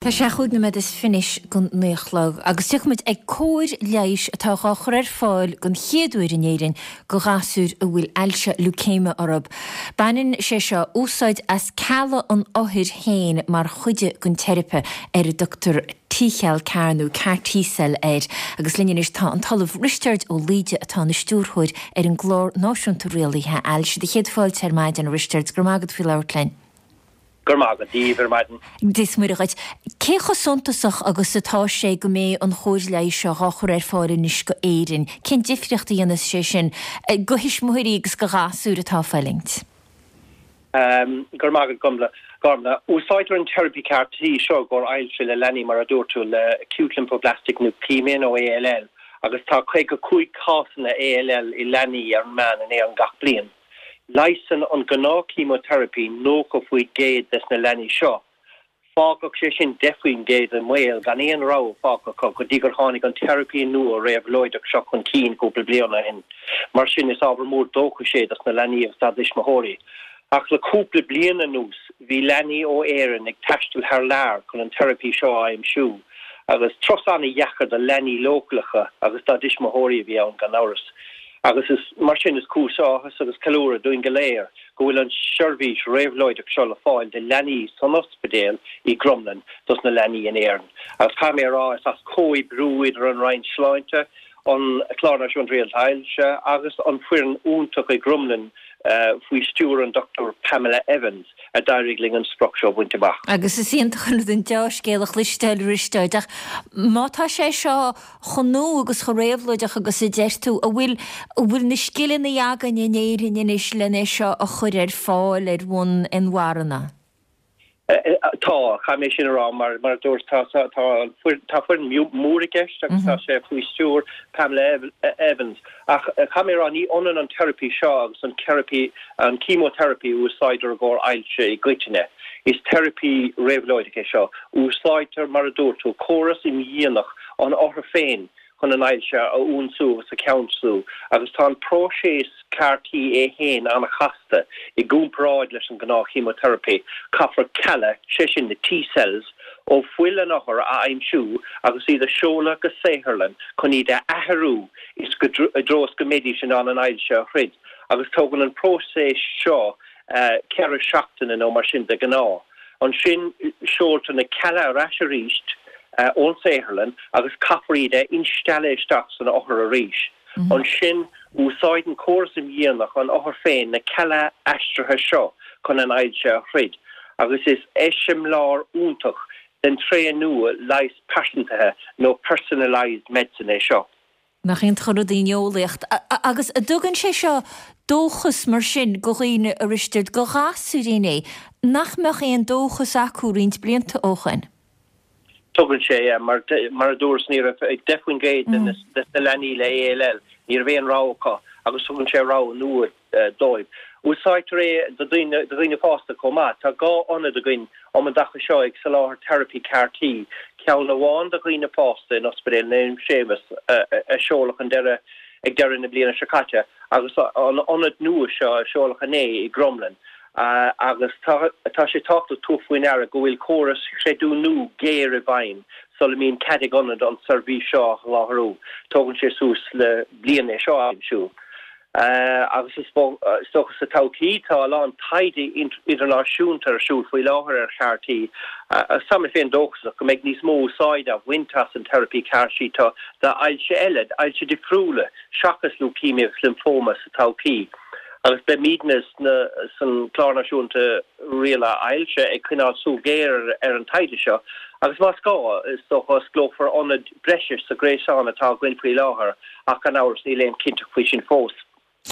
Tá sé chúig nóiméad is fiche go naoi a chlog agus tiocfaimid ag cóir leighis atá dhá chur ar fáil den chéad uair in Éirinn go ghasúir a bhfuil ailse leukaemia orthu. Baineann sé seo úsáid as cealla an othair féin mar chuid den teiripe ar a dtugtar T-cheall CAR nó CAR T-cell air. Agus linn anois tá an tOllamh Risteard Ó Laoide atá ina stiúrthóir ar an gClár Náisiúnta Rialaithe Ailse. Do chéad fáilte ar maidin, a Risteaird. Go raibh maith agat faoi labhairt linn. Go raibh maith agat, Dia daoibh ar maidin. Dia is Muire dhuit. Cé chomh suntasach agus atá sé go mbeidh an chóir leighis seo dhá chur ar fáil anois go Éirinn? Cén difríocht a dhéanfas sé sin go thuismitheoirí agus go ghasúir atá ag fulaingt? Go raibh maith agat, Gormlaith. Gormlaith. Úsáidtear an teiripí CAR T seo i gcomhair ailse le leanaí, mar a dúirt tú, le Acute Lymphoblastic Leukemia nó ALL, agus tá 55 cásanna ALL i leanaí ar an meán in Éirinn gach bliain. Leigheasann an gnáth-chemoteiripí 90% des na leanaí seo. Fágfadh sé sin 10% i mbaol gan aon rogha fágtha acu go dtí gur tháinig an teiripí nua réabhlóideach seo chun cinn cúpla bliain ó shin. Mar sin, is ábhar mór dóchais é dos na leanaí agus dá dtuismitheoirí. Ach le cúpla bliain anuas, bhí leanaí ó Éirinn ag taisteal thar lear chun an teiripí seo a aimsiú. Agus turas an-dheacair do leanaí leochaileacha agus dá dtuismitheoirí a bhí ann, gan amhras. Agus is mar sin is cúis áthais agus ceiliúradh dúinn go léir go bhfuil an seirbhís réabhlóideach seo le fáil do leanaí san ospidéal i gCromghlinn dos na leanaí in Éirinn. Agus caithfidh mé a rá, is as comhoibriú idir an Roinn Sláinte, an Clár Náisiúnta Rialaithe Ailse agus an foireann iontach i gCromghlinn faoi stiúir an Dr Pamela Evans a d'éirigh linn an sprioc seo a bhaint amach. Agus is iontach an rud an deá-scéal a chloisteáil, a Risteaird, ach má tá sé seo chomh nua agus chomh réabhlóideach agus a deir tú, an bhfuil, an bhfuil na scileanna againn in Éirinn anois len é seo a chur ar fáil ar bhonn inmharthana? Tá, caithfidh mé sin a rá, mar, mar a dúirt, tá, tá, tá an foireann, tá foireann mór i gceist agus tá sé faoi stiúir Pamela Evans. Ach caithfidh mé a rá, ní ionann an teiripí seo agus an teiripí, an chemoteiripí a úsáidtear i gcomhair ailse i gcoitinne. Is teiripí réabhlóideach é seo. Úsáidtear, mar a dúirt tú, córas imdhíonach an othair féin chun an ailse a ionsú agus a cheansú, agus tá an próiseas CAR-T é féin an-chasta i gcomparáid leis an ngnáth-chemoteiripí. Caithfear cealla, sé sin na T-cells, ó fuil an othair a aimsiú agus iad a seoladh go saotharlann chun iad a athrú i dtreo is go mbeidís in ann an ailse a throid, agus tógann an próiseas seo 4 seachtaine nó mar sin de ghnáth. Ansin seoltar na cealla ar ais arís ón saotharlann agus caithfear iad a instealladh isteach san othar arís. Ansin úsáideann córas imdhíonach an othair féin na cealla aistrithe seo chun an ailse a throid agus is eiseamláir iontach den tréith nua leighis pearsantaithe nó personalised medicine é seo. Nach iontach an rud í an eolaíocht. Agus an dtugann sé seo dóchas mar sin go dhaoine, a Risteaird, go ghasúirí é, nach mbeadh aon dóchas acu roinnt blianta ó shoin? Tugann sé, yeah. Mar, mar a dúras, ní raibh ach 10% de na leanaí le ALL, ní raibh aon rogha acu agus tugann sé rogha nua dóibh. Úsáidtear é do dhaoine, do dhaoine fásta chomh maith. Tá 2 ionad againn um an dtaca seo ag soláthar teiripí CAR-T, ceann amháin do dhaoine fásta in Ospidéal Naomh Séamus a seoladh an deireadh, ag deireadh na bliana seo caite agus an ionad nua seo a seoladh inné i gCromghlinn. Agus tá, tá sé tábhachtach tabhairt faoi ndeara go bhfuil córas chreidiúnú géar i bhfeidhm sula mbíonn cead ag ionad an tseirbhís seo a sholáthar. Tógann sé suas le bliain é seo a aimsiú. Agus is dócha sa todhchaí, tá a lán taighde idirnáisiúnta ar siúl faoi láthair ar CAR-T agus tá mé féin dóchasach go mbeidh níos mó úsáide á bhaint as an teiripí CAR-T d'ailse eile, ailse difriúla seachas leukemia agus lymphoma sa todhchaí. Agus beimidne san Clár Náisiúnta Rialaithe Ailse ag coinneáil súil ghéar ar an taighde seo agus más gá, is dócha, osclófar ionad breise sa ghréasán atá againn faoi láthair ach gan amhras níl aon chinnteacht faoi sin fós.